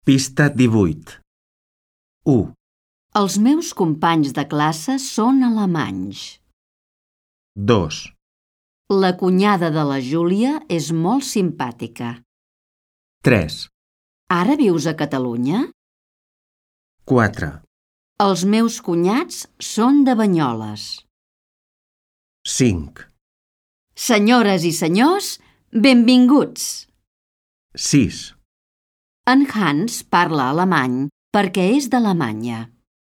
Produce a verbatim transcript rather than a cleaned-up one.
Pista divuit. u. Els meus companys de classe són alemanys. dos. La cunyada de la Júlia és molt simpàtica. tres. Ara vius a Catalunya? quatre. Els meus cunyats són de Banyoles. cinc. Senyores i senyors, benvinguts! sis. En Hans parla alemany perquè és d'Alemanya.